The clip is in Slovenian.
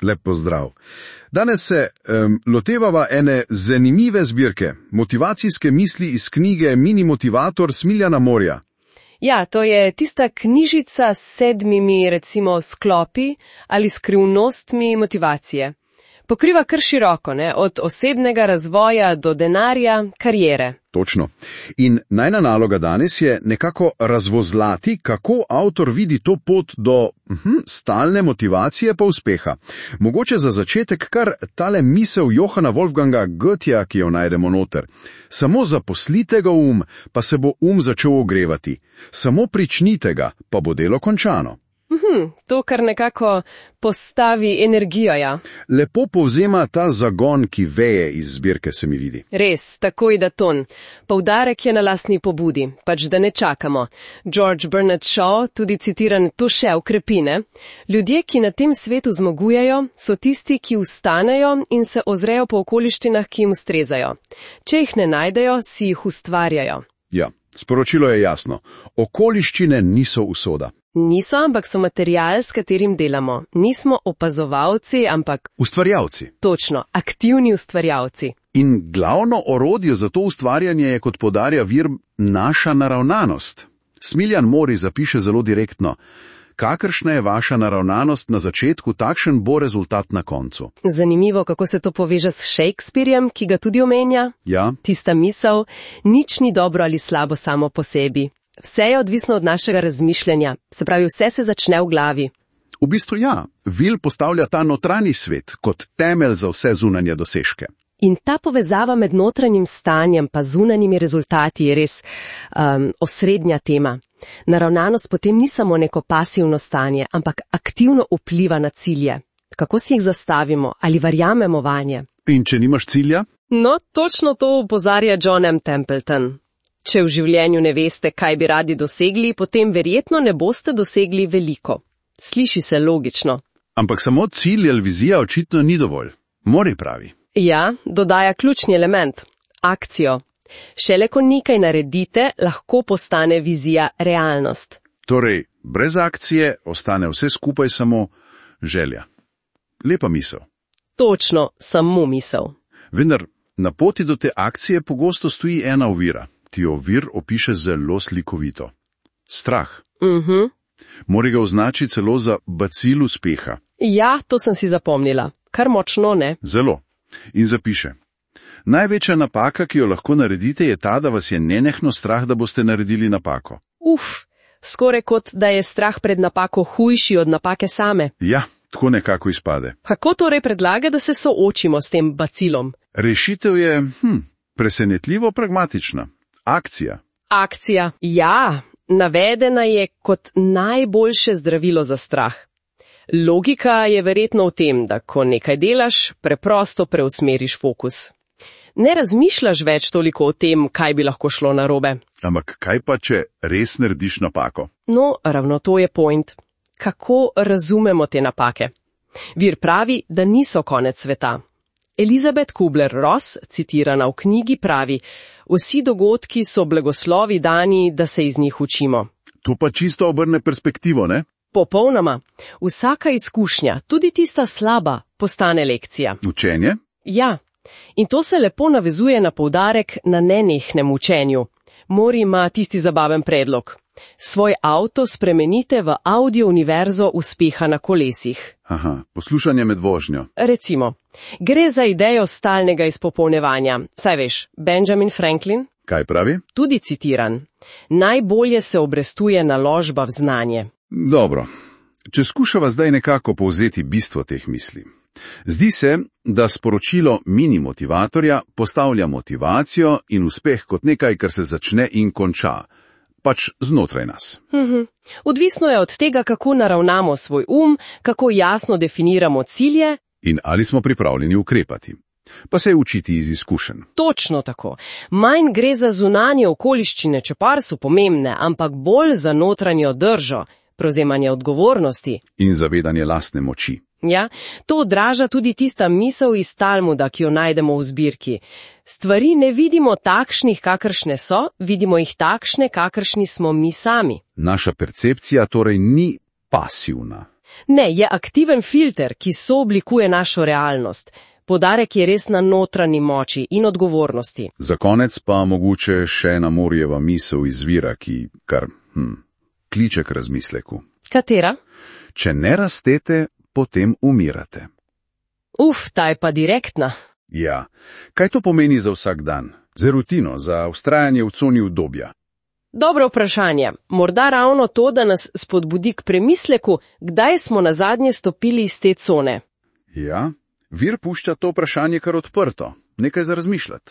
Lep pozdrav. Danes se lotevava ene zanimive zbirke, motivacijske misli iz knjige Mini motivator Smiljana Morja. Ja, to je tista knjižica s 7, recimo, sklopi ali skrivnostmi motivacije. Pokriva kar široko, ne? Od osebnega razvoja do denarja, kariere. Točno. In najna naloga danes je nekako razvozlati, kako avtor vidi to pot do stalne motivacije pa uspeha. Mogoče za začetek kar tale misel Johana Wolfganga Goetheja, ki jo najdemo noter. Samo zaposlite ga pa se bo začel ogrevati. Samo pričnite ga, pa bo delo končano. To kar nekako postavi energijo, ja. Lepo povzema ta zagon, ki veje iz zbirke, se mi vidi. Res, takoj da ton. Poudarek je na lastni pobudi, pač da ne čakamo. George Bernard Shaw, tudi citiran, to še ukrepine. Ljudje, ki na tem svetu zmagujejo, so tisti, ki vstanejo in se ozrejo po okoliščinah, ki jim ustrezajo. Če jih ne najdejo, si jih ustvarjajo. Ja, sporočilo je jasno. Okoliščine niso usoda. Niso, ampak so material, s katerim delamo. Nismo opazovalci, ampak ustvarjalci. Točno, aktivni ustvarjalci. In glavno orodje za to ustvarjanje je, kot podarja vir, naša naravnanost. Smiljan Mori zapiše zelo direktno: kakršna je vaša naravnanost na začetku, takšen bo rezultat na koncu. Zanimivo, kako se to poveže s Shakespearjem, ki ga tudi omenja. Ja. Tista misel, nič ni dobro ali slabo samo po sebi. Vse je odvisno od našega razmišljanja, se pravi, vse se začne v glavi. V bistvu ja, Will postavlja ta notranji svet kot temelj za vse zunanje dosežke. In ta povezava med notranjim stanjem pa zunanjimi rezultati je res osrednja tema. Naravnanost potem ni samo neko pasivno stanje, ampak aktivno vpliva na cilje. Kako si jih zastavimo ali verjamemo vanje? In če nimaš cilja? No, točno to opozarja John M. Templeton. Če v življenju ne veste, kaj bi radi dosegli, potem verjetno ne boste dosegli veliko. Sliši se logično. Ampak samo cilj ali vizija očitno ni dovolj. Mori pravi. Ja, dodaja ključni element – akcijo. Šele ko nekaj naredite, lahko postane vizija realnost. Torej, brez akcije ostane vse skupaj samo želja. Lepa misel. Točno, samo misel. Vendar na poti do te akcije pogosto stoji ena ovira. Ti ovir opiše zelo slikovito. Strah. Mori ga označi celo za bacil uspeha. Ja, to sem si zapomnila. Kar močno, ne? Zelo. In zapiše: največja napaka, ki jo lahko naredite, je ta, da vas je nenehno strah, da boste naredili napako. Skoraj kot da je strah pred napako hujši od napake same. Ja, tako nekako izpade. Kako torej predlaga, da se soočimo s tem bacilom? Rešitev je, presenetljivo pragmatična. Akcija. Akcija, ja, navedena je kot najboljše zdravilo za strah. Logika je verjetno v tem, da ko nekaj delaš, preprosto preusmeriš fokus. Ne razmišljaš več toliko o tem, kaj bi lahko šlo narobe. Ampak kaj pa, če res narediš napako? No, ravno to je point. Kako razumemo te napake? Vir pravi, da niso konec sveta. Elizabeth Kubler-Ross, citirana v knjigi, pravi: vsi dogodki so blagoslovi dani, da se iz njih učimo. To pa čisto obrne perspektivo, ne? Popolnoma. Vsaka izkušnja, tudi tista slaba, postane lekcija. Učenje? Ja. In to se lepo navezuje na poudarek na nenehnem učenju. Mori ima tisti zabaven predlog. Svoj avto spremenite v audio univerzo uspeha na kolesih. Aha, poslušanje med vožnjo. Recimo, gre za idejo stalnega izpopolnjevanja. Saj veš, Benjamin Franklin? Kaj pravi? Tudi citiran. Najbolje se obrestuje naložba v znanje. Dobro, če skušava zdaj nekako povzeti bistvo teh misli. Zdi se, da sporočilo mini motivatorja postavlja motivacijo in uspeh kot nekaj, kar se začne in konča. Pač znotraj nas. Odvisno je od tega, kako naravnamo svoj kako jasno definiramo cilje in ali smo pripravljeni ukrepati. Pa se je učiti iz izkušenj. Točno tako. Manj gre za zunanje okoliščine, čepar so pomembne, ampak bolj za notranjo držo, prevzemanje odgovornosti. In zavedanje lastne moči. Ja, to odraža tudi tista misel iz Talmuda, ki jo najdemo v zbirki. Stvari ne vidimo takšnih, kakršne so, vidimo jih takšne, kakršni smo mi sami. Naša percepcija torej ni pasivna. Ne, je aktiven filter, ki sooblikuje našo realnost. Poudarek je res na notranji moči in odgovornosti. Za konec pa mogoče še ena Morijeva misel izvira, ki kar kliče k razmisleku. Katera? Če ne rastete, potem umirate. Ta je pa direktna. Ja, kaj to pomeni za vsak dan? Za rutino, za vztrajanje v coni udobja? Dobro vprašanje. Morda ravno to, da nas spodbudi k premisleku, kdaj smo nazadnje stopili iz te cone. Ja, vir pušča to vprašanje kar odprto. Nekaj za razmišljati.